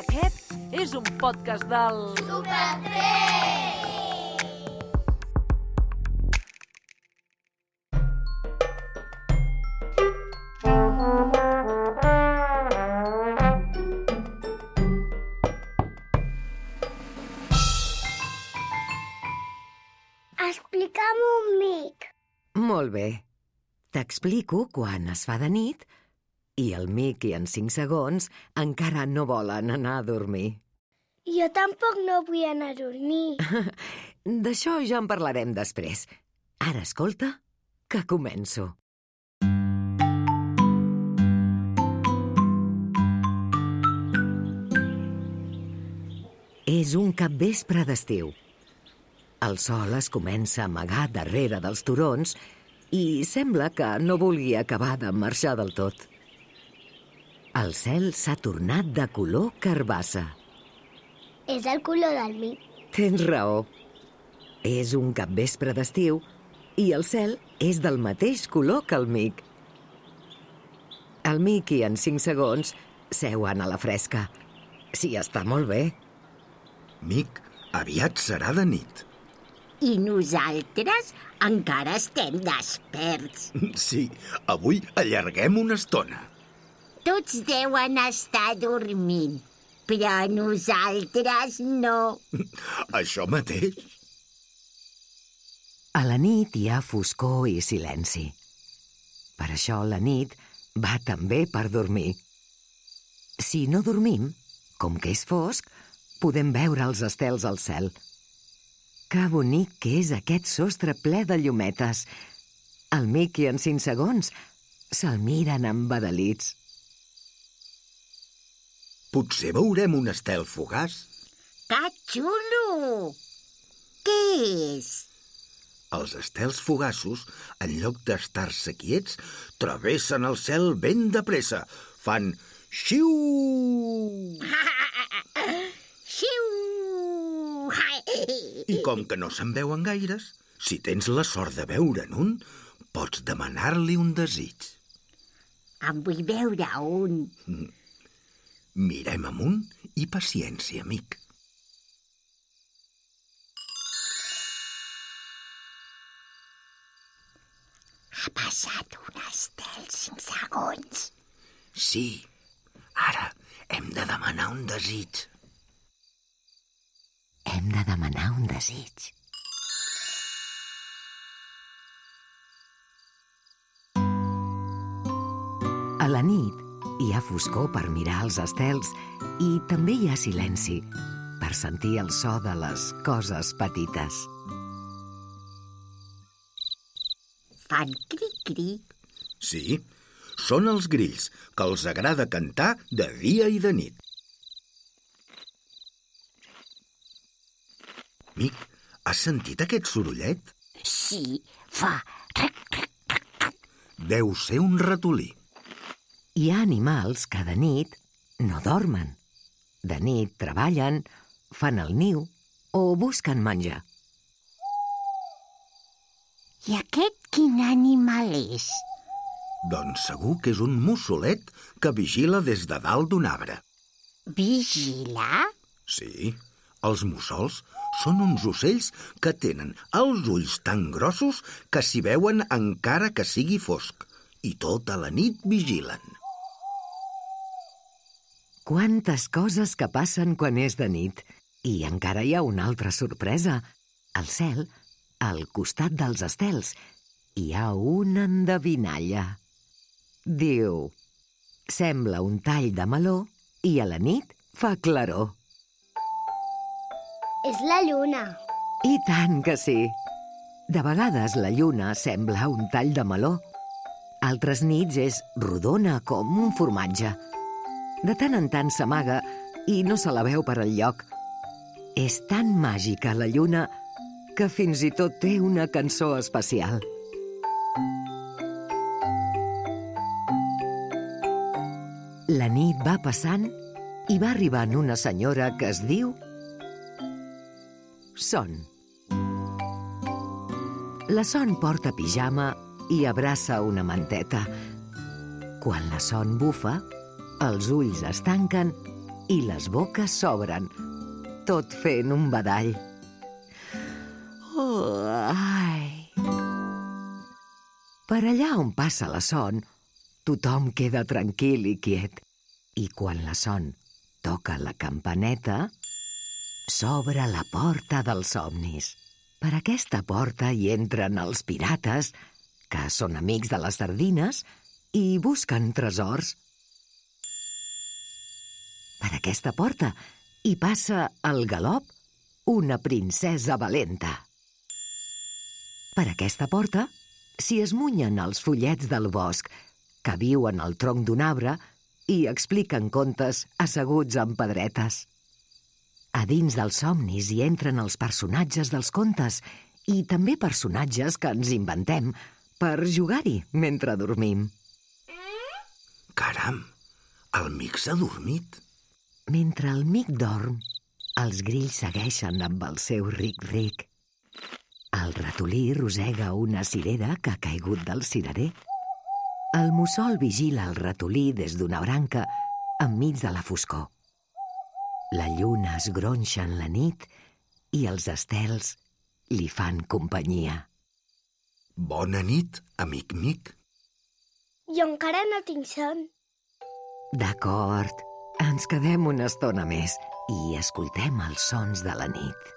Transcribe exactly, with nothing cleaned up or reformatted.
Aquest és un podcast del... Super tres! Explica'm un mic. Molt bé. T'explico quan es fa de nit i el Miqui en cinc segons encara no volen anar a dormir. Jo tampoc no vull anar a dormir. D'això ja en parlarem després. Ara escolta, que començo. És un capvespre d'estiu. El sol es comença a amagar darrere dels turons i sembla que no vulgui acabar de marxar del tot. El cel s'ha tornat de color carbassa. És el color del mic. Tens raó. És un capvespre d'estiu i el cel és del mateix color que el mic. El Miqui en cinc segons seuen a la fresca. Sí, està molt bé. Mic, aviat serà de nit. I nosaltres encara estem desperts. Sí, avui allarguem una estona. Tots deuen estar dormint, però nosaltres no. Això mateix. A la nit hi ha foscor i silenci. Per això la nit va també per dormir. Si no dormim, com que és fosc, podem veure els estels al cel. Que bonic que és aquest sostre ple de llumetes. El Miqui en cinc segons se'l miren embadalits. Potser veurem un estel fugaç. Que xulo! Què és? Els estels fugaços, en lloc d'estar-se quiets, travessen el cel ben de pressa. Fan xiu! Xiu! I com que no se'n veuen gaires, si tens la sort de veure'n un, pots demanar-li un desig. En vull veure un. Mirem amunt i paciència, amic. Ha passat un estel cinc segons. Sí, ara hem de demanar un desig. Hem de demanar un desig. A la nit hi ha foscor per mirar els estels i també hi ha silenci per sentir el so de les coses petites. Fan cric-cric. Sí, són els grills, que els agrada cantar de dia i de nit. Mic, has sentit aquest sorollet? Sí, fa cric-cric-cric. Deu ser un ratolí. Hi ha animals que de nit no dormen. De nit treballen, fan el niu o busquen menjar. I aquest quin animal és? Doncs segur que és un mussolet que vigila des de dalt d'un arbre. Vigila? Sí, els mussols són uns ocells que tenen els ulls tan grossos que s'hi veuen encara que sigui fosc, i tota la nit vigilen. Quantes coses que passen quan és de nit. I encara hi ha una altra sorpresa. Al cel, al costat dels estels, hi ha una endevinalla. Diu, sembla un tall de meló i a la nit fa claror. És la lluna. I tant que sí. De vegades la lluna sembla un tall de meló. Altres nits és rodona com un formatge. De tant en tant s'amaga i no se la veu per enlloc. És tan màgica la lluna que fins i tot té una cançó especial. La nit va passant i va arribant una senyora que es diu Son. La Son porta pijama i abraça una manteta. Quan la Son bufa, els ulls es tanquen i les boques s'obren, tot fent un badall. Oh, ai! Per allà on passa la Son, tothom queda tranquil i quiet. I quan la Son toca la campaneta, s'obre la porta dels somnis. Per aquesta porta hi entren els pirates, que són amics de les sardines, i busquen tresors. Per aquesta porta hi passa al galop una princesa valenta. Per aquesta porta s'hi esmunyen els follets del bosc, que viuen al tronc d'un arbre i expliquen contes asseguts en pedretes. A dins dels somnis hi entren els personatges dels contes i també personatges que ens inventem per jugar-hi mentre dormim. Caram, el mic s'ha dormit. Mentre el mic dorm, els grills segueixen amb el seu ric-ric. El ratolí rosega una cirera que ha caigut del cirerer. El mussol vigila el ratolí des d'una branca enmig de la foscor. La lluna es gronxa en la nit i els estels li fan companyia. Bona nit, amic mic. Jo encara no tinc son. D'acord, ens quedem una estona més i escoltem els sons de la nit.